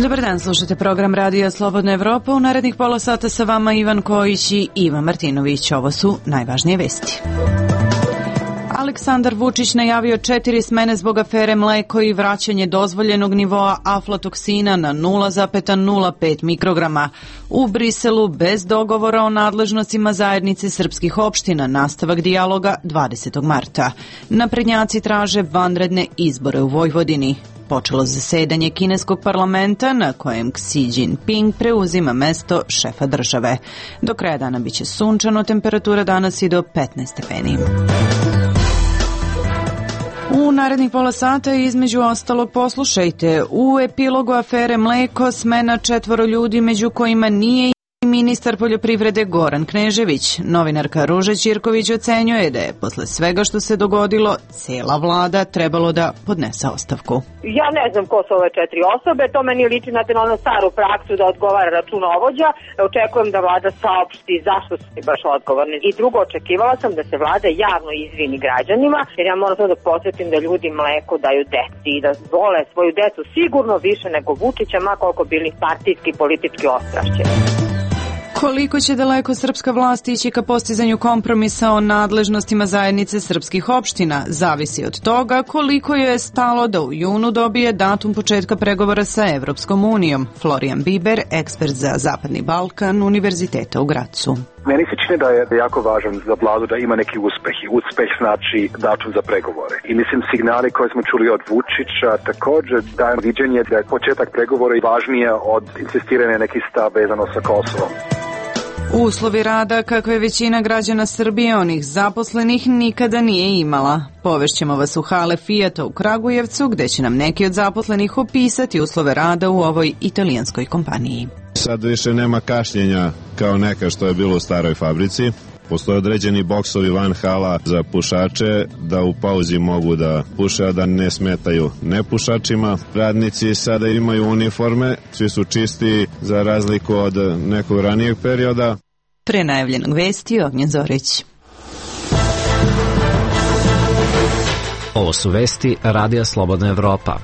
Dobar dan, slušate program Radija Slobodna Evropa. U narednih pola sata sa vama Ivan Kojić i Iva Martinović. Ovo su najvažnije vesti. Aleksandar Vučić najavio 4 smene zbog afere mleko i vraćanje dozvoljenog nivoa aflatoksina na 0,05 mikrograma. U Briselu bez dogovora o nadležnostima zajednice srpskih opština nastavak dijaloga 20. marta. Naprednjaci traže vanredne izbore u Vojvodini. Počelo zasedanje kineskog parlamenta na kojem Xi Jinping preuzima mesto šefa države. Do kraja dana biće sunčano, temperatura danas i do 15 stepeni. U narednih pola sata između ostalog poslušajte. U epilogu afere mleko smena 4 ljudi, među kojima nije i ministar poljoprivrede Goran Knežević. Novinarka Ruža Ćirković ocenjuje da je posle svega što se dogodilo cela vlada trebalo da podnese ostavku. Ja ne znam ko su ove 4 osobe, to meni liči na onu staru praksu da odgovara računovođa. Očekujem da vlada saopšti zašto su baš odgovorni. I drugo, očekivala sam da se vlada javno izvini građanima, jer ja moram da posjetim da ljudi mleko daju deci i da vole svoju decu sigurno više nego Vučića, ma koliko bili partijski i politički ostrašćeni. Koliko će daleko srpska vlast ići ka postizanju kompromisa o nadležnostima zajednice srpskih opština, zavisi od toga koliko joj je stalo da u junu dobije datum početka pregovora sa Evropskom unijom. Florijan Biber, ekspert za Zapadni Balkan, Univerziteta u Gracu. Meni se čini da je jako važan za vladu da ima neki uspeh. I uspeh znači datum za pregovore. I mislim signali koje smo čuli od Vučića također daje viđenje da je početak pregovora važnije od insistiranja nekih stav vezano sa Kosovom. Uslovi rada kakve većina građana Srbije, onih zaposlenih, nikada nije imala. Povešćemo vas u hale Fijata u Kragujevcu, gde će nam neki od zaposlenih opisati uslove rada u ovoj italijanskoj kompaniji. Sad više nema kašnjenja kao neka što je bilo u staroj fabrici. Postoje određeni boksovi van hala za pušače da u pauzi mogu da puše, a da ne smetaju nepušačima. Radnici sada imaju uniforme, svi su čisti za razliku od nekog ranijeg perioda. Pre najavljenog vesti Ognjen Zorić. Ovo su vesti Radija Slobodna Evropa.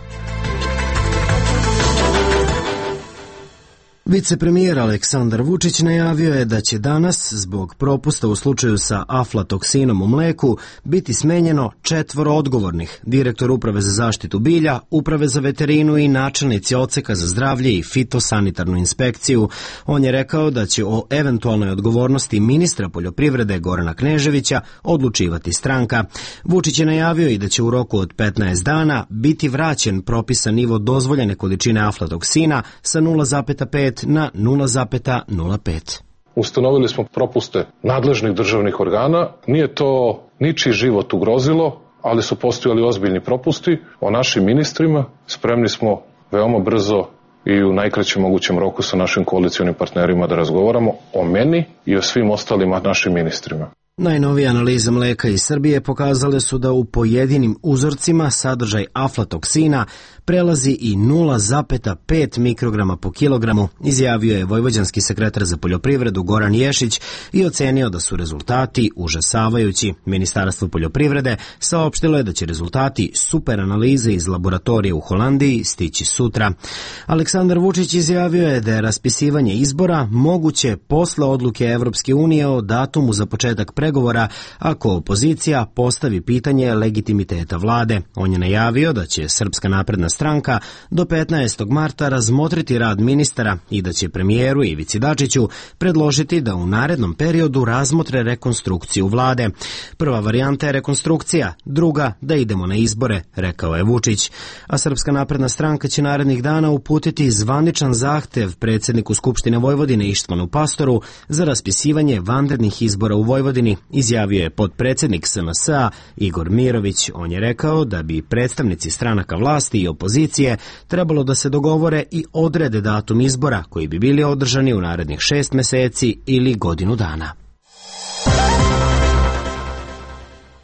Vicepremijer Aleksandar Vučić najavio je da će danas, zbog propusta u slučaju sa aflatoksinom u mleku, biti smenjeno 4 odgovornih: direktor Uprave za zaštitu bilja, Uprave za veterinu i načelnici odseka za zdravlje i fitosanitarnu inspekciju. On je rekao da će o eventualnoj odgovornosti ministra poljoprivrede Gorana Kneževića odlučivati stranka. Vučić je najavio i da će u roku od 15 dana biti vraćen propisan nivo dozvoljene količine aflatoksina sa 0,5 na 0,05. Ustanovili smo propuste nadležnih državnih organa. Nije to ničiji život ugrozilo, ali su postojali ozbiljni propusti. O našim ministrima spremni smo veoma brzo i u najkraćem mogućem roku sa našim koalicionim partnerima da razgovaramo o meni i o svim ostalim našim ministrima. Najnovije analize mleka iz Srbije pokazale su da u pojedinim uzorcima sadržaj aflatoksina prelazi i 0,5 mikrograma po kilogramu, izjavio je vojvođanski sekretar za poljoprivredu Goran Ješić i ocenio da su rezultati užasavajući. Ministarstvo poljoprivrede saopštilo je da će rezultati super analize iz laboratorije u Holandiji stići sutra. Aleksandar Vučić izjavio je da je raspisivanje izbora moguće posle odluke Evropske unije o datumu za početak pregovora ako opozicija postavi pitanje legitimiteta vlade. On je najavio da će Srpska napredna stranka do 15. marta razmotriti rad ministara i da će premijeru Ivici Dačiću predložiti da u narednom periodu razmotre rekonstrukciju vlade. Prva varijanta je rekonstrukcija, druga da idemo na izbore, rekao je Vučić. A Srpska napredna stranka će narednih dana uputiti zvaničan zahtev predsjedniku Skupštine Vojvodine Ištvanu Pastoru za raspisivanje vanrednih izbora u Vojvodini, izjavio je potpredsjednik SNS-a Igor Mirović. On je rekao da bi predstavnici stranaka vlasti i opozicije trebalo da se dogovore i odrede datum izbora koji bi bili održani u narednih 6 meseci ili godinu dana.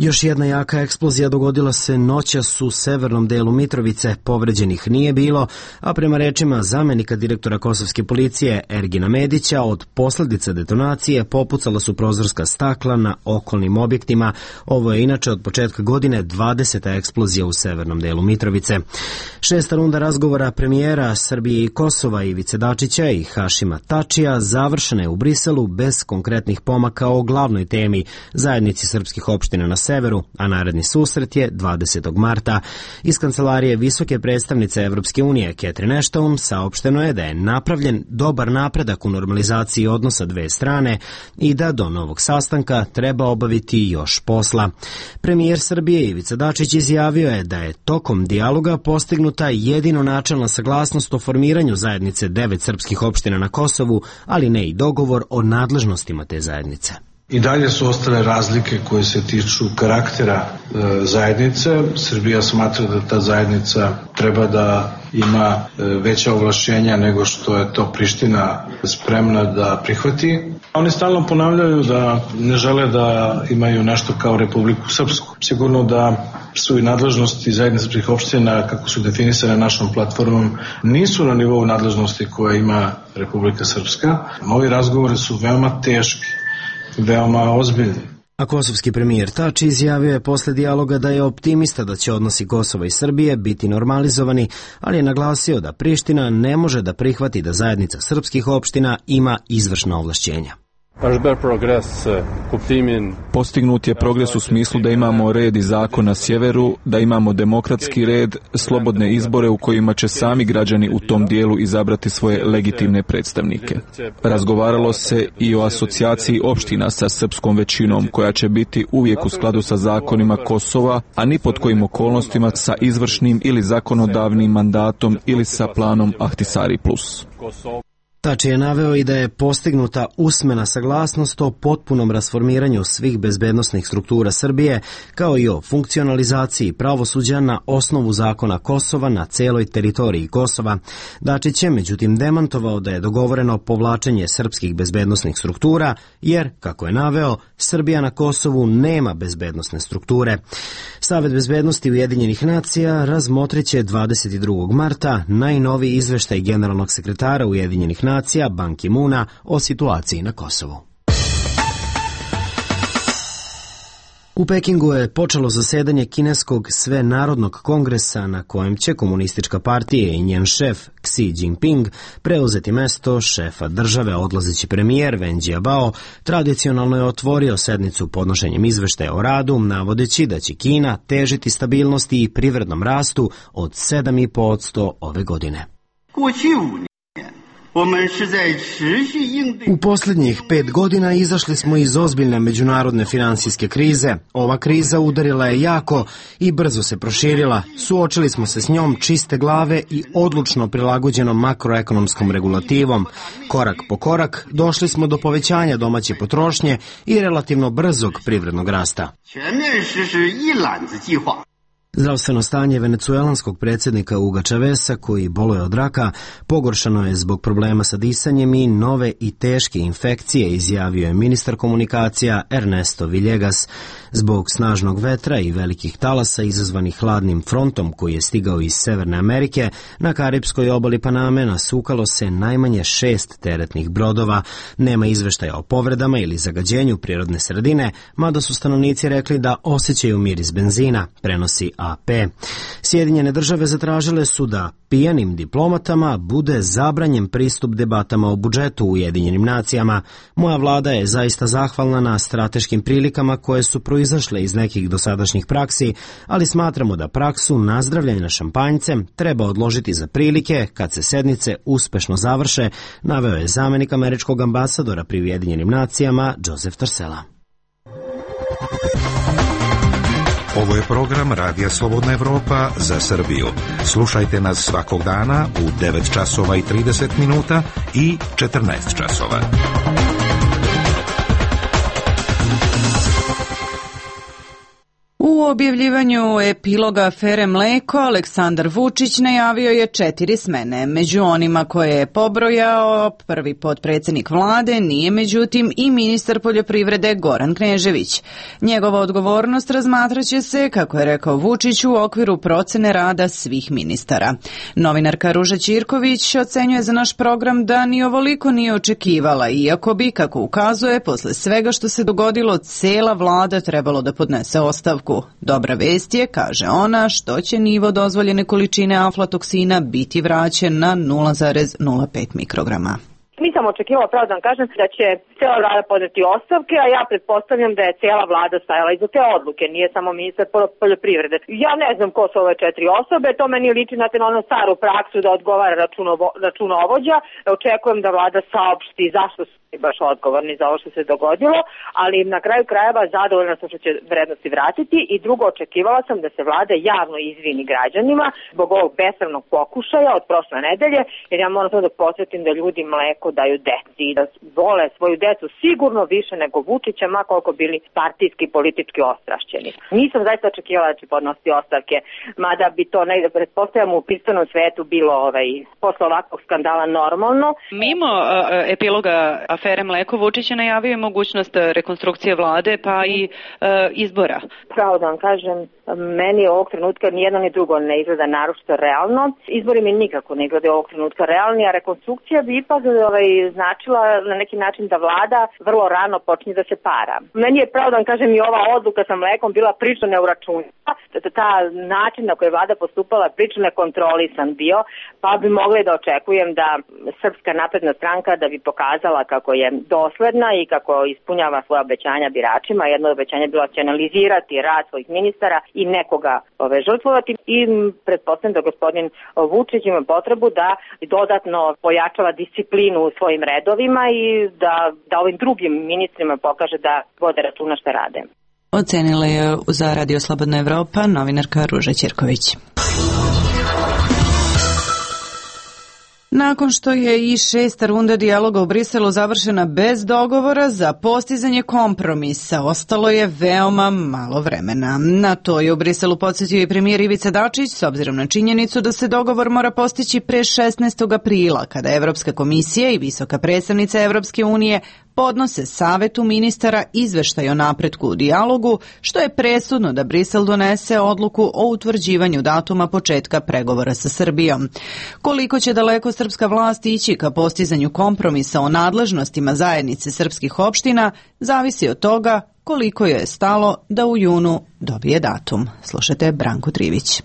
Još jedna jaka eksplozija dogodila se noćas u severnom delu Mitrovice, povređenih nije bilo, a prema rečima zamenika direktora kosovske policije Ergina Medića, od posljedica detonacije popucala su prozorska stakla na okolnim objektima. Ovo je inače od početka godine 20. eksplozija u severnom delu Mitrovice. Šesta runda razgovora premijera Srbije i Kosova Ivice Dačića i Hašima Tačija završena je u Briselu bez konkretnih pomaka o glavnoj temi zajednici srpskih opština na severu, a naredni susret je 20. marta. Iz kancelarije visoke predstavnice Evropske unije Catherine Ashton saopšteno je da je napravljen dobar napredak u normalizaciji odnosa dve strane i da do novog sastanka treba obaviti još posla. Premijer Srbije Ivica Dačić izjavio je da je tokom dijaloga postignuta jedino načelna saglasnost o formiranju zajednice 9 srpskih opština na Kosovu, ali ne i dogovor o nadležnostima te zajednice. I dalje su ostale razlike koje se tiču karaktera zajednice. Srbija smatra da ta zajednica treba da ima veća ovlašćenja nego što je to Priština spremna da prihvati. Oni stalno ponavljaju da ne žele da imaju nešto kao Republiku Srpsku. Sigurno da su i nadležnosti zajednice srpskih opština, kako su definisane našom platformom, nisu na nivou nadležnosti koje ima Republika Srpska. Ovi razgovori su veoma teški, veoma ozbiljni. A kosovski premijer Tači izjavio je posle dijaloga da je optimista da će odnosi Kosova i Srbije biti normalizovani, ali je naglasio da Priština ne može da prihvati da zajednica srpskih opština ima izvršna ovlašćenja. Postignut je progres u smislu da imamo red i zakon na sjeveru, da imamo demokratski red, slobodne izbore u kojima će sami građani u tom dijelu izabrati svoje legitimne predstavnike. Razgovaralo se i o asocijaciji opština sa srpskom većinom, koja će biti uvijek u skladu sa zakonima Kosova, a ni pod kojim okolnostima sa izvršnim ili zakonodavnim mandatom ili sa planom Ahtisari plus. Tači je naveo i da je postignuta usmena saglasnost o potpunom rasformiranju svih bezbednosnih struktura Srbije, kao i o funkcionalizaciji pravosuđa na osnovu zakona Kosova na celoj teritoriji Kosova. Dačić je međutim demantovao da je dogovoreno povlačenje srpskih bezbednosnih struktura, jer, kako je naveo, Srbija na Kosovu nema bezbednosne strukture. Savet bezbednosti Ujedinjenih nacija razmotriće 22. marta najnoviji izveštaj generalnog sekretara Ujedinjenih nacija Ban Ki-moona o situaciji na Kosovu. U Pekingu je počelo zasedanje kineskog svenarodnog kongresa na kojem će komunistička partija i njen šef Xi Jinping preuzeti mesto šefa države. Odlazeći premijer Wen Jiabao tradicionalno je otvorio sednicu podnošenjem izveštaja o radu, navodeći da će Kina težiti stabilnosti i privrednom rastu od 7,5% ove godine. U posljednjih 5 godina izašli smo iz ozbiljne međunarodne finansijske krize. Ova kriza udarila je jako i brzo se proširila. Suočili smo se s njom čiste glave i odlučno prilagođenom makroekonomskom regulativom. Korak po korak došli smo do povećanja domaće potrošnje i relativno brzog privrednog rasta. Zdravstveno stanje venecuelanskog predsjednika Huga Chaveza, koji boluje od raka, pogoršano je zbog problema sa disanjem i nove i teške infekcije, izjavio je ministar komunikacija Ernesto Villegas. Zbog snažnog vetra i velikih talasa izazvanih hladnim frontom koji je stigao iz Severne Amerike, na Karipskoj obali Paname nasukalo se najmanje 6 teretnih brodova. Nema izveštaja o povredama ili zagađenju prirodne sredine, mada su stanovnici rekli da osjećaju miris benzina, prenosi AP. Sjedinjene države zatražile su da pijanim diplomatama bude zabranjen pristup debatama o budžetu u Ujedinjenim nacijama. Moja vlada je zaista zahvalna na strateškim prilikama koje su proizašle iz nekih dosadašnjih praksi, ali smatramo da praksu nazdravljanja šampanjcem treba odložiti za prilike kad se sednice uspešno završe, naveo je zamenik američkog ambasadora pri Ujedinjenim nacijama Joseph Tarsela. Ovo je program Radija Slobodna Evropa za Srbiju. Slušajte nas svakog dana u 9 časova i 30 minuta i 14 časova. U objavljivanju epiloga afere Mleko, Aleksandar Vučić najavio je 4 smene. Među onima koje je pobrojao prvi potpredsjednik vlade nije međutim i ministar poljoprivrede Goran Knežević. Njegova odgovornost razmatraće se, kako je rekao Vučić, u okviru procene rada svih ministara. Novinarka Ruža Ćirković ocenjuje za naš program da ni ovoliko nije očekivala, iako bi, kako ukazuje, posle svega što se dogodilo, cela vlada trebalo da podnese ostavku. Dobra vest je, kaže ona, što će nivo dozvoljene količine aflatoksina biti vraćen na 0,05 mikrograma. Nisam očekivala, pravo da vam kažem, da će cijela vlada podneti ostavke, a ja pretpostavljam da je cijela vlada stajala iza te odluke, nije samo ministar poljoprivrede. Ja ne znam ko su ove 4 osobe, to meni liči na onu staru praksu da odgovara računovođa. Očekujem da vlada saopšti zašto su baš odgovorni za ovo što se dogodilo, ali na kraju krajeva zadovoljna sam što će vrednosti vratiti i drugo, očekivala sam da se vlada javno izvini građanima zbog ovog besramnog pokušaja od prošle nedelje, jer ja moram samo da podsjetim da ljudi mleko daju deci i da vole svoju decu sigurno više nego Vučića, ma koliko bili partijski i politički ostrašćeni. Nisam zaista očekivala da će podnositi ostavke, mada bi to negde, pretpostavljam, u pisanom svetu bilo posle ovakvog skandala normalno. Mimo epiloga afere Mleko, Vučić je najavio mogućnost rekonstrukcije vlade pa i izbora. Pravo da vam kažem, meni ovog trenutka nijedno ni drugo ne izgleda naročito realno. Izbori mi nikako ne izgleda ovog trenutka realni, a rekonstrukcija bi ipak značila na neki način da vlada vrlo rano počne da se para. Meni je, pravo da vam kažem, i ova odluka sa Mlekom bila prilično neuračunljiva. Ta način na koji je vlada postupala prilično nekontrolisan bio, pa bi mogli da očekujem da Srpska napredna stranka da bi pokazala kako je dosledna i kako ispunjava svoje obećanja biračima. Jedno od obećanja je bilo da će analizirati rad svojih ministara i nekoga žrtvovati i pretpostavljam da gospodin Vučić ima potrebu da dodatno pojačava disciplinu u svojim redovima i da ovim drugim ministrima pokaže da vode računa šta rade. Ocenila je za Radio Slobodna Evropa novinarka Ruža Ćirković. Nakon što je i 6. runda dijaloga u Briselu završena bez dogovora za postizanje kompromisa, ostalo je veoma malo vremena. Na to je u Briselu podsjetio i premijer Ivica Dačić, s obzirom na činjenicu da se dogovor mora postići pre 16. aprila, kada Evropska komisija i visoka predstavnica Evropske unije podnose Savetu ministara izveštaj o napretku u dijalogu, što je presudno da Brisel donese odluku o utvrđivanju datuma početka pregovora sa Srbijom. Koliko će daleko srpska vlast ići ka postizanju kompromisa o nadležnostima zajednice srpskih opština, zavisi od toga koliko joj je stalo da u junu dobije datum. Slušajte Branku Trivić.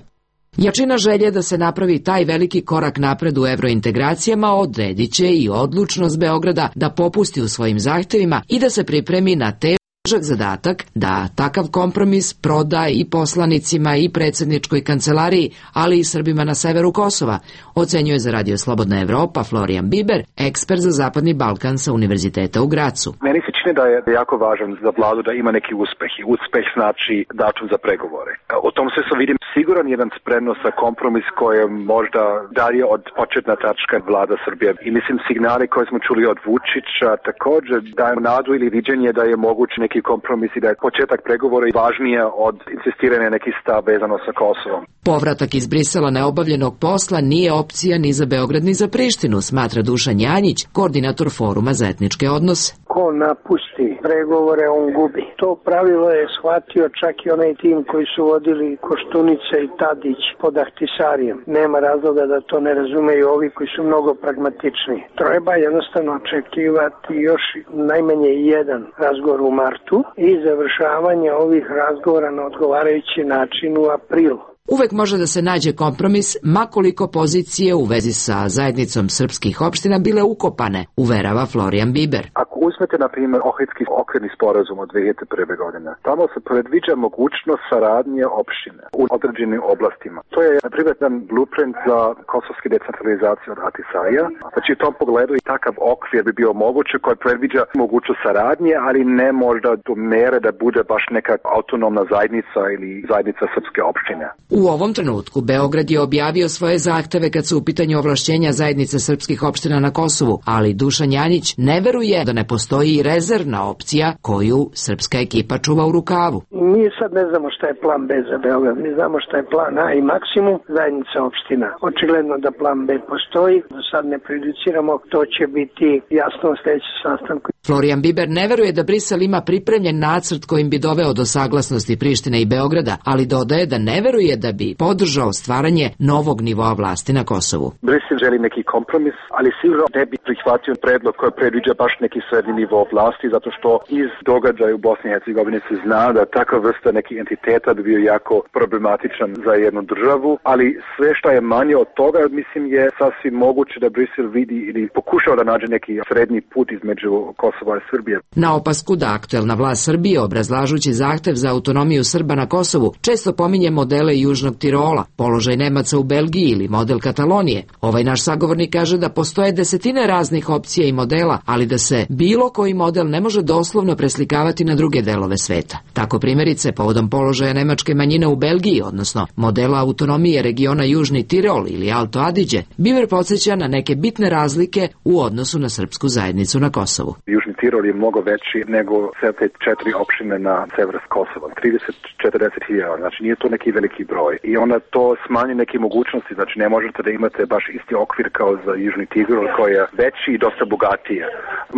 Jačina želje da se napravi taj veliki korak napred u evrointegracijama odredit će i odlučnost Beograda da popusti u svojim zahtevima i da se pripremi na težak zadatak da takav kompromis proda i poslanicima i predsjedničkoj kancelariji, ali i Srbima na severu Kosova, ocenjuje za Radio Slobodna Evropa Florian Biber, ekspert za Zapadni Balkan sa Univerziteta u Gracu. Meni se čini da je jako važan za vladu da ima neki uspeh. I uspeh znači datum za pregovore. U tom sve se vidim siguran jedan spremnost za kompromis koji je možda dalje od početna tačka vlada Srbije. I mislim signali koje smo čuli od Vučića također daje nadu ili viđenje da je moguće neki kompromis i da je početak pregovora važnije od insistiranja nekih stav vezano sa Kosovom. Povratak iz Brisela neobavljenog posla nije opcija ni za Beograd ni za Prištinu, smatra Dušan Janjić, koordinator Foruma za etničke odnose. Ko napusti pregovore, on gubi. To pravilo je shvatio čak i onaj tim koji su vodili Koštunica i Tadić pod Ahtisarijem. Nema razloga da to ne razumeju ovi koji su mnogo pragmatični. Treba jednostavno očekivati još najmanje jedan razgovor u martu i završavanje ovih razgovora na odgovarajući način u aprilu. Uvek može da se nađe kompromis, makoliko pozicije u vezi sa zajednicom srpskih opština bile ukopane, uverava Florian Biber. Ako uzmete, na primjer, Ohridski okvirni sporazum od 2001. godine, tamo se predviđa mogućnost saradnje opštine u određenim oblastima. To je, na primjer, jedan blueprint za kosovski decentralizaciju od Ahtisarija. Znači, u tom pogledu i takav okvir bi bio moguće koji predviđa mogućnost saradnje, ali ne možda do mere da bude baš neka autonomna zajednica ili zajednica srpske opštine. U ovom trenutku Beograd je objavio svoje zahteve kad su u pitanju ovlašćenja zajednice srpskih opština na Kosovu, ali Dušan Janjić ne veruje da ne postoji i rezervna opcija koju srpska ekipa čuva u rukavu. Mi sad ne znamo šta je plan B za Beograd, mi znamo šta je plan A i maksimum zajednica opština. Očigledno da plan B postoji, do sad ne prejudiciramo, to će biti jasno u sljedećem sastanku. Florijan Biber ne veruje da Brisel ima pripremljen nacrt kojim bi doveo do saglasnosti Prištine i Beograda, ali dodaje da ne veruje da bi podržao stvaranje novog nivoa vlasti na Kosovu. Brisel želi neki kompromis, ali sigurno ne bi prihvatio predlog koji predviđa baš neki srednji nivo vlasti, zato što iz događaja u Bosni i Hercegovini se zna da takva vrsta nekih entiteta bi bio jako problematičan za jednu državu, ali sve što je manje od toga, mislim, je sasvim moguće da Brisel vidi ili pokušao da nađe neki srednji put između Kosova i Srbije. Na opasku da aktuelna vlast Srbije, obrazlažući zahtev za autonomiju Srba na Kosovu, često pominje modele Južnog Tirola, položaj Nemaca u Belgiji ili model Katalonije. Ovaj naš sagovornik kaže da postoje desetine raznih opcija i modela, ali da se bilo koji model ne može doslovno preslikavati na druge delove sveta. Tako primjerice, povodom položaja nemačke manjine u Belgiji, odnosno modela autonomije regiona Južni Tirol ili Alto Adige, Biber podsjeća na neke bitne razlike u odnosu na srpsku zajednicu na Kosovu. Južni Tirol je mnogo veći nego sve te 4 opštine na severu Kosova. 30-40 hiljada, znači nije to neki veliki broj. I onda to smanji neke mogućnosti, znači ne možete da imate baš isti okvir kao za Južni Tirol koji je veći i dosta bogatiji.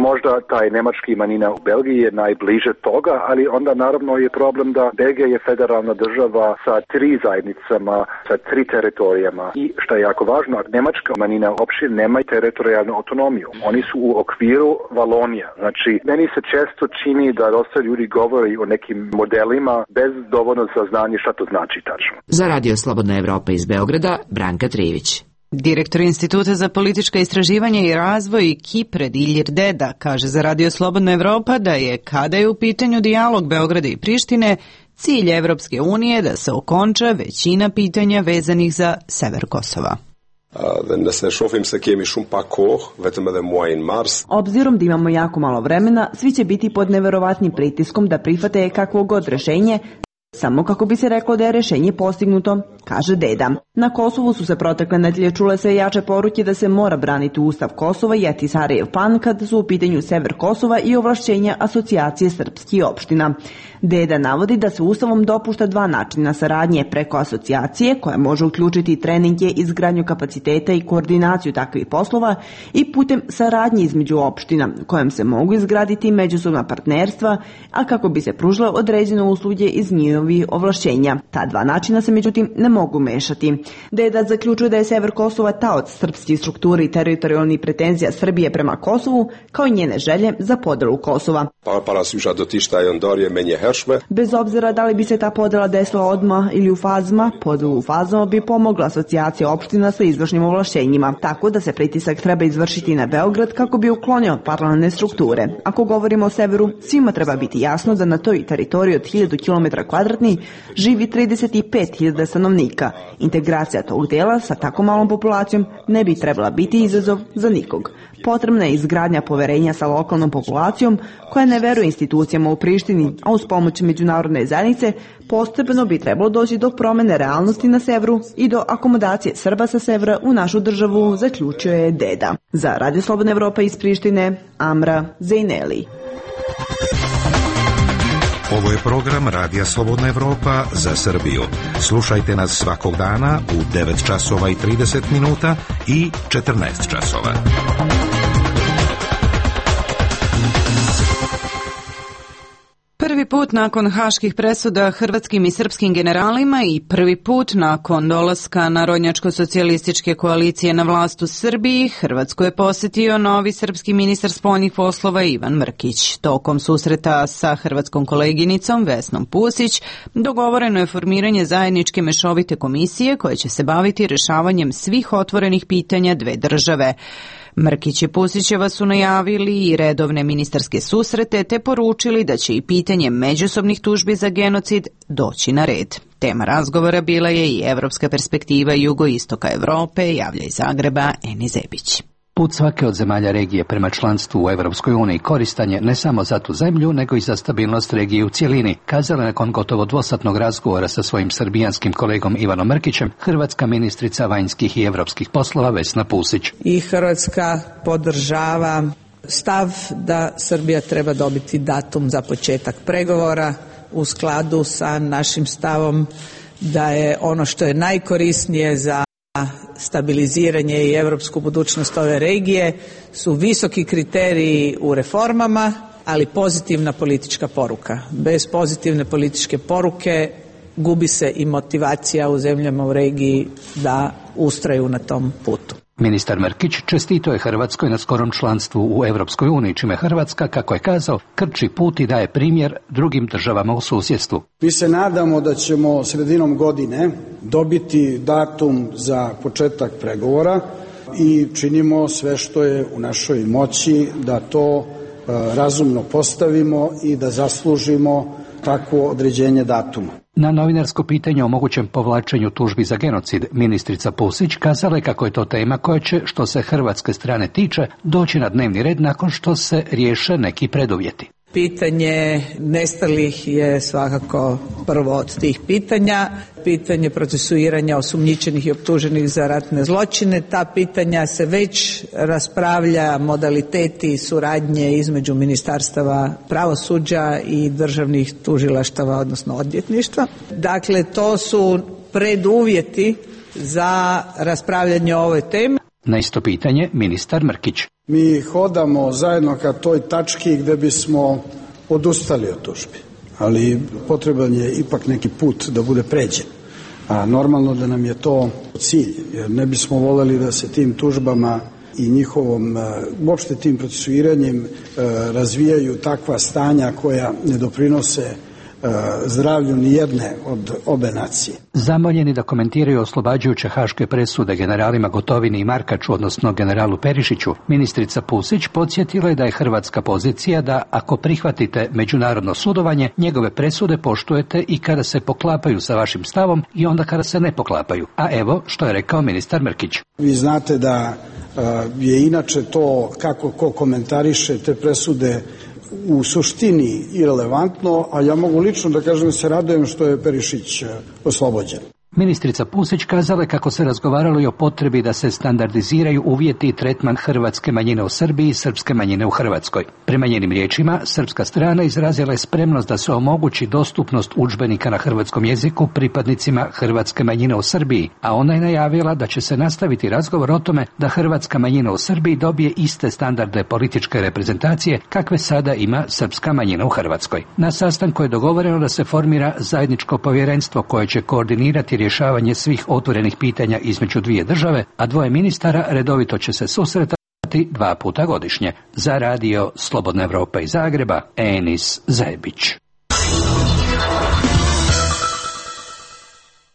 Možda taj nemački manjina u Belgiji je najbliže toga, ali onda naravno je problem da Belgija je federalna država sa 3 zajednicama, sa 3 teritorijama. I što je jako važno, nemačka manjina uopšte nema teritorijalnu autonomiju. Oni su u okviru Valonija. Znači, meni se često čini da dosta ljudi govori o nekim modelima bez dovoljno saznanja šta to znači tačno. Za Radio Slobodna Evropa iz Beograda, Branka Trivić. Direktor Instituta za politička istraživanja i razvoj Kipred Ilir Deda kaže za Radio Slobodna Evropa da je, kada je u pitanju dijalog Beograda i Prištine, cilj Evropske unije da se okonča većina pitanja vezanih za sever Kosova. Obzirom da imamo jako malo vremena, svi će biti pod neverovatnim pritiskom da prihvate kakvo god rešenje, samo kako bi se reklo da je rešenje postignuto, kaže Deda. Na Kosovu su se protekle nedelje čule sve jače poruke da se mora braniti Ustav Kosova i Ahtisarijev plan kad su u pitanju sever Kosova i ovlašćenja asocijacije srpskih opština. Deda navodi da se Ustavom dopušta 2 načina saradnje preko asocijacije, koja može uključiti treninge, izgradnju kapaciteta i koordinaciju takvih poslova, i putem saradnje između opština, kojom se mogu izgraditi međusobna partnerstva, a kako bi se pružile određene usluge iz njihovih ovlašćenja. Ta 2 načina se međutim ne mogu mešati. Deda zaključuje da je sever Kosova taoc srpskih struktura i teritorijalnih pretenzija Srbije prema Kosovu, kao i njene želje za podelu Kosova. Bez obzira da li bi se ta podela desila odmah ili u fazama, podelu u fazama bi pomogla asocijacija opština sa izvršnim ovlašćenjima, tako da se pritisak treba izvršiti na Beograd kako bi uklonio parlamentarne strukture. Ako govorimo o severu, svima treba biti jasno da na toj teritoriji od 1000 km2 živi 35.000 stanovnika. Integracija tog dela sa tako malom populacijom ne bi trebala biti izazov za nikog. Potrebna je izgradnja poverenja sa lokalnom populacijom koja ne veruje institucijama u Prištini, a uz pomoć međunarodne zajednice postepeno bi trebalo doći do promene realnosti na severu i do akomodacije Srba sa severa u našu državu, zaključuje Deda. Za Radio Slobodna Evropa iz Prištine, Amra Zejneli. Ovo je program Radija Slobodna Evropa za Srbiju. Slušajte nas svakog dana u 9 časova i 30 minuta i 14 časova. Prvi put nakon haških presuda hrvatskim i srpskim generalima i prvi put nakon dolaska Narodnjačko-socijalističke koalicije na vlast u Srbiji, Hrvatsku je posjetio novi srpski ministar spoljnih poslova Ivan Mrkić. Tokom susreta sa hrvatskom koleginicom Vesnom Pusić dogovoreno je formiranje zajedničke mešovite komisije koja će se baviti rešavanjem svih otvorenih pitanja dve države. Mrkić i Pusićeva su najavili i redovne ministarske susrete te poručili da će i pitanje međusobnih tužbi za genocid doći na red. Tema razgovora bila je i evropska perspektiva jugoistoka Evrope, javlja iz Zagreba Eni Zebić. Put svake od zemalja regije prema članstvu u Evropskoj uniji koristan je ne samo za tu zemlju, nego i za stabilnost regije u cjelini, kazala nakon gotovo dvosatnog razgovora sa svojim srbijanskim kolegom Ivanom Mrkićem, hrvatska ministrica vanjskih i evropskih poslova Vesna Pusić. I Hrvatska podržava stav da Srbija treba dobiti datum za početak pregovora u skladu sa našim stavom da je ono što je najkorisnije za stabiliziranje i europsku budućnost ove regije su visoki kriteriji u reformama, ali pozitivna politička poruka. Bez pozitivne političke poruke gubi se i motivacija u zemljama u regiji da ustraju na tom putu. Ministar Mrkić čestito je Hrvatskoj na skorom članstvu u Europskoj uniji, čime Hrvatska, kako je kazao, krči put i daje primjer drugim državama u susjedstvu. Mi se nadamo da ćemo sredinom godine dobiti datum za početak pregovora i činimo sve što je u našoj moći da to razumno postavimo i da zaslužimo takvo određenje datuma. Na novinarsko pitanje o mogućem povlačenju tužbi za genocid, ministrica Pusić kazala je kako je to tema koja će, što se hrvatske strane tiče, doći na dnevni red nakon što se riješe neki preduvjeti. Pitanje nestalih je svakako prvo od tih pitanja. Pitanje procesuiranja osumnjičenih i optuženih za ratne zločine. Ta pitanja se već raspravlja, modaliteti suradnje između ministarstava pravosuđa i državnih tužilaštava, odnosno odvjetništva. Dakle, to su preduvjeti za raspravljanje o ovoj temi. Na isto pitanje ministar Mrkić. Mi hodamo zajedno ka toj tački gde bismo odustali od tužbi, ali potreban je ipak neki put da bude pređen. A normalno da nam je to cilj, jer ne bismo voljeli da se tim tužbama i njihovom, uopšte tim procesuiranjem razvijaju takva stanja koja ne doprinose zdravlju ni jedne od obe nacije. Zamoljeni da komentiraju oslobađajuće haške presude generalima Gotovini i Markaču, odnosno generalu Perišiću, ministrica Pusić podsjetila je da je hrvatska pozicija da ako prihvatite međunarodno sudovanje, njegove presude poštujete i kada se poklapaju sa vašim stavom i onda kada se ne poklapaju. A evo što je rekao ministar Mrkić. Vi znate da je inače to kako ko komentariše te presude u suštini irelevantno, a ja mogu lično da kažem da se radujem što je Perišić oslobođen. Ministrica Pusić kazala je kako se razgovaralo i o potrebi da se standardiziraju uvjeti i tretman hrvatske manjine u Srbiji i srpske manjine u Hrvatskoj. Prema njenim riječima, srpska strana izrazila je spremnost da se omogući dostupnost udžbenika na hrvatskom jeziku pripadnicima hrvatske manjine u Srbiji, a ona je najavila da će se nastaviti razgovor o tome da hrvatska manjina u Srbiji dobije iste standarde političke reprezentacije kakve sada ima srpska manjina u Hrvatskoj. Na sastanku je dogovoreno da se formira zajedničko povjerenstvo koje će koordinirati rješavanje svih otvorenih pitanja između dvije države, a dvoje ministara redovito će se susretati 2 puta godišnje. Za radio Slobodna Evropa iz Zagreba, Enis Zebić.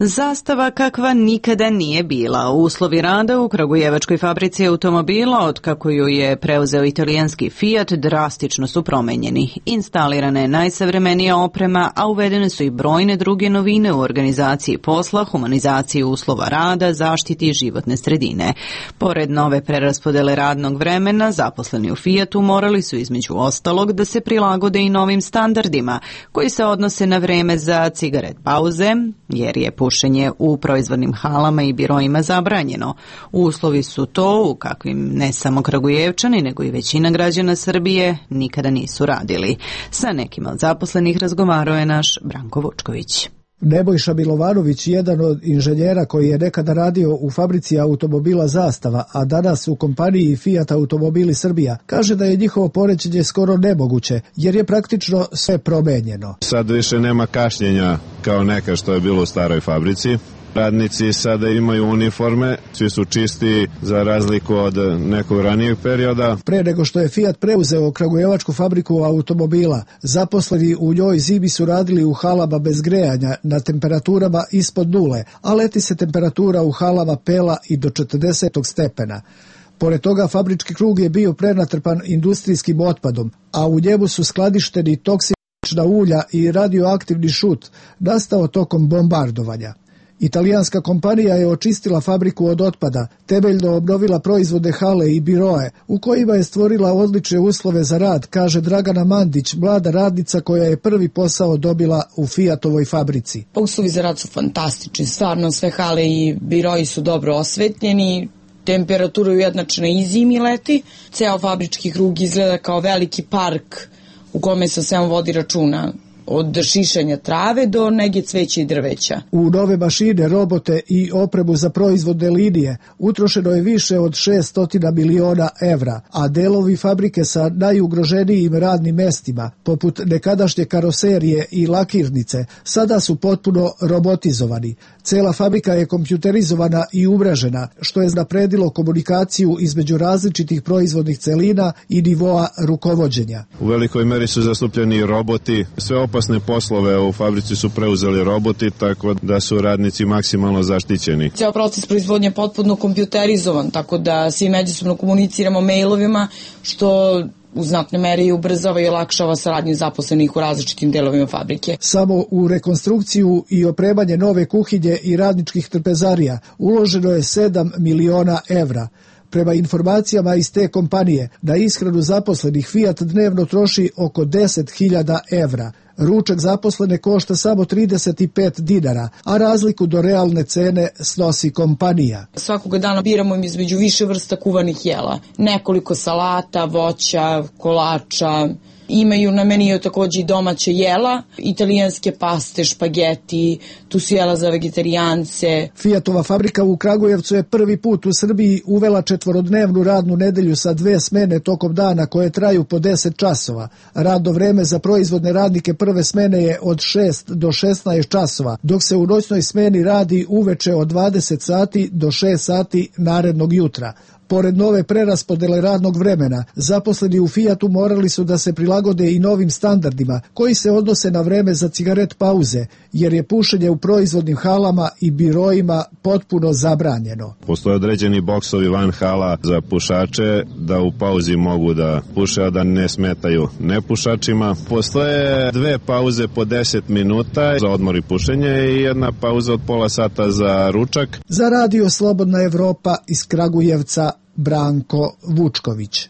Zastava kakva nikada nije bila. Uslovi rada u kragujevačkoj fabrici automobila, od kako ju je preuzeo italijanski Fiat, drastično su promenjeni. Instalirana je najsavremenija oprema, a uvedene su i brojne druge novine u organizaciji posla, humanizaciji uslova rada, zaštiti životne sredine. Pored nove preraspodele radnog vremena, zaposleni u Fiatu morali su između ostalog da se prilagode i novim standardima, koji se odnose na vreme za cigaret pauze, jer je pušenje u proizvodnim halama i biroima zabranjeno. Uslovi su to u kakvim ne samo Kragujevčani, nego i većina građana Srbije nikada nisu radili. Sa nekima od zaposlenih razgovarao je naš Branko Vučković. Nebojša Milovanović, jedan od inženjera koji je nekada radio u fabrici automobila Zastava, a danas u kompaniji Fiat Automobili Srbija, kaže da je njihovo poređenje skoro nemoguće, jer je praktično sve promenjeno. Sad više nema kašnjenja kao neka što je bilo u staroj fabrici. Radnici sada imaju uniforme, svi su čisti za razliku od nekog ranijeg perioda. Pre nego što je Fiat preuzeo kragujevačku fabriku automobila, zaposleni u njoj zimi su radili u halama bez grejanja na temperaturama ispod nule, a leti se temperatura u halama pela i do 40 stepena. Pored toga, fabrički krug je bio prenatrpan industrijskim otpadom, a u njemu su skladišteni toksična ulja i radioaktivni šut, nastao tokom bombardovanja. Italijanska kompanija je očistila fabriku od otpada, temeljno obnovila proizvode hale i biroe, u kojima je stvorila odlične uslove za rad, kaže Dragana Mandić, mlada radnica koja je prvi posao dobila u Fiatovoj fabrici. Uslovi za rad su fantastični, stvarno sve hale i biroji su dobro osvetljeni, temperatura je ujednačena i zimi i leti, ceo fabrički krug izgleda kao veliki park u kome se svemu vodi računa od šišanja trave do nege cveća i drveća. U nove mašine, robote i opremu za proizvodne linije utrošeno je više od 600 miliona evra, a delovi fabrike sa najugroženijim radnim mestima, poput nekadašnje karoserije i lakirnice, sada su potpuno robotizovani. Cela fabrika je kompjuterizovana i umrežena, što je napredilo komunikaciju između različitih proizvodnih celina i nivoa rukovođenja. U velikoj meri su zastupljeni roboti. Sve opasne poslove u fabrici su preuzeli roboti, tako da su radnici maksimalno zaštićeni. Ceo proces proizvodnje je potpuno kompjuterizovan, tako da svi međusobno komuniciramo mailovima, što u znatnoj meri ubrzava i olakšava saradnju zaposlenih u različitim delovima fabrike. Samo u rekonstrukciju i opremanje nove kuhinje i radničkih trpezarija uloženo je 7 miliona evra. Prema informacijama iz te kompanije, na ishranu zaposlenih Fiat dnevno troši oko 10.000 evra. Ručak zaposlene košta samo 35 dinara, a razliku do realne cene snosi kompanija. Svakoga dana biramo između više vrsta kuvanih jela. Nekoliko salata, voća, kolača. Imaju na meniju takođe i domaće jela, italijanske paste, špageti, tu su jela za vegetarijance. Fiatova fabrika u Kragujevcu je prvi put u Srbiji uvela 4-dnevnu radnu nedelju sa 2 smene tokom dana koje traju po 10 časova. Radno vreme za proizvodne radnike prve smene je od 6 do 16 časova, dok se u noćnoj smeni radi uveče od 20 sati do 6 sati narednog jutra. Pored nove preraspodele radnog vremena, zaposleni u Fiatu morali su da se prilagode i novim standardima koji se odnose na vreme za cigaret pauze, jer je pušenje u proizvodnim halama i biroima potpuno zabranjeno. Postoje određeni boksovi van hala za pušače da u pauzi mogu da puše, a da ne smetaju nepušačima. Postoje 2 pauze po 10 minuta za odmor i pušenje i 1 pauza od pola sata za ručak. Za Radio Slobodna Evropa iz Kragujevca, Branko Vučković.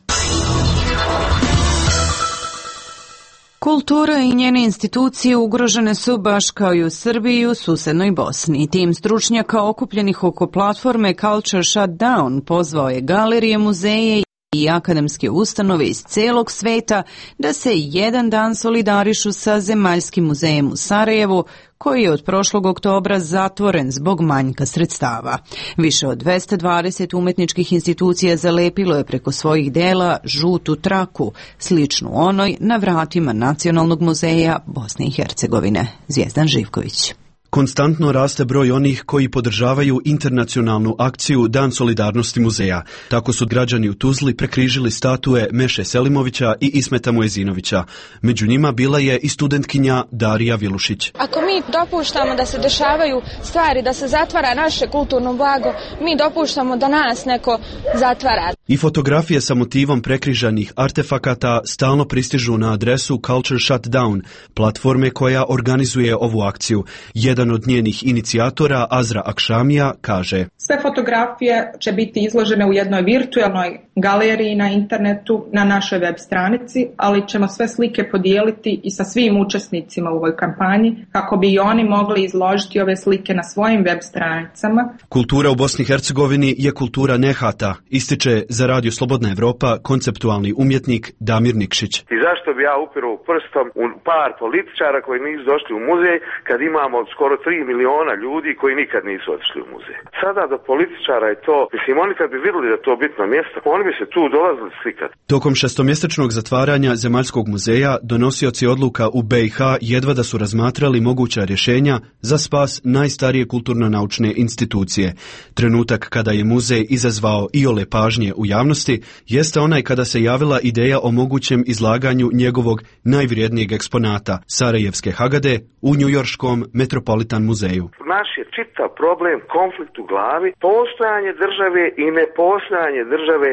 Kultura i njene institucije ugrožene su baš kao i u Srbiji i u susednoj Bosni. Tim stručnjaka okupljenih oko platforme Culture Shutdown pozvao je galerije, muzeje i akademske ustanove iz celog sveta da se jedan dan solidarišu sa Zemaljskim muzejem u Sarajevu, koji je od prošlog oktobra zatvoren zbog manjka sredstava. Više od 220 umetničkih institucija zalepilo je preko svojih dela žutu traku, sličnu onoj na vratima Nacionalnog muzeja Bosne i Hercegovine. Zvijezdan Živković. Konstantno raste broj onih koji podržavaju internacionalnu akciju Dan solidarnosti muzeja. Tako su građani u Tuzli prekrižili statue Meše Selimovića i Ismeta Mojezinovića. Među njima bila je i studentkinja Darija Vilušić. Ako mi dopuštamo da se dešavaju stvari, da se zatvara naše kulturno blago, mi dopuštamo da nas neko zatvara. I fotografije sa motivom prekrižanih artefakata stalno pristižu na adresu Culture Shutdown, platforme koja organizuje ovu akciju. Jedan od njenih inicijatora, Azra Akšamija, kaže: Sve fotografije će biti izložene u jednoj virtualnoj galeriji na internetu na našoj web stranici, ali ćemo sve slike podijeliti i sa svim učesnicima u ovoj kampanji kako bi i oni mogli izložiti ove slike na svojim web stranicama. Kultura u Bosni i Hercegovini je kultura nehata, ističe za Radio Slobodna Evropa konceptualni umjetnik Damir Nikšić. I zašto bi ja upirao prstom u par političara koji nisu došli u muzej kad imamo skoro 3 miliona ljudi koji nikad nisu otišli u muzej. Sada do političara je to, mislim, oni kad bi vidjeli da to bitno mjesto, oni bi se tu dolazili slikati. Tokom 6-mjesečnog zatvaranja Zemaljskog muzeja donosioci odluka u BiH jedva da su razmatrali moguća rješenja za spas najstarije kulturno-naučne institucije. Trenutak kada je muzej izazvao iole pažnje u javnosti jeste onaj kada se javila ideja o mogućem izlaganju njegovog najvrijednijeg eksponata, Sarajevske Hagade, u njujorškom Metropolitan muzeju. Naš je čitav problem, konflikt u glavi, postojanje države i nepostojanje države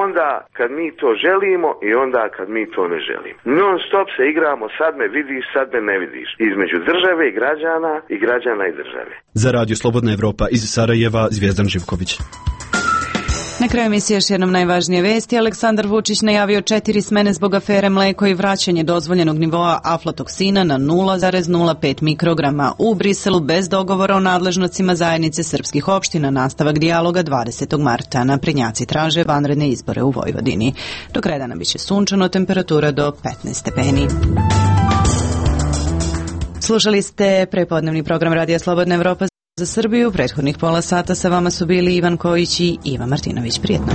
onda kad mi to želimo i onda kad mi to ne želimo. Non stop se igramo, sad me vidiš, sad me ne vidiš. Između države i građana i države. Za Radio Slobodna Evropa iz Sarajeva, Zvijezdan Živković. Na kraju emisije još jednom najvažnije vesti. Aleksandar Vučić najavio 4 smene zbog afere mleko i vraćanje dozvoljenog nivoa aflatoksina na 0,05 mikrograma. U Briselu bez dogovora o nadležnostima zajednice srpskih opština. Nastavak dijaloga 20. marta. Naprednjaci traže vanredne izbore u Vojvodini. Do kraja dana biće sunčano, temperatura do 15 stepeni. Slušali ste prepodnevni program Radija Slobodna Evropa za Srbiju. Prethodnih pola sata sa vama su bili Ivan Kojić i Iva Martinović. Prijetno.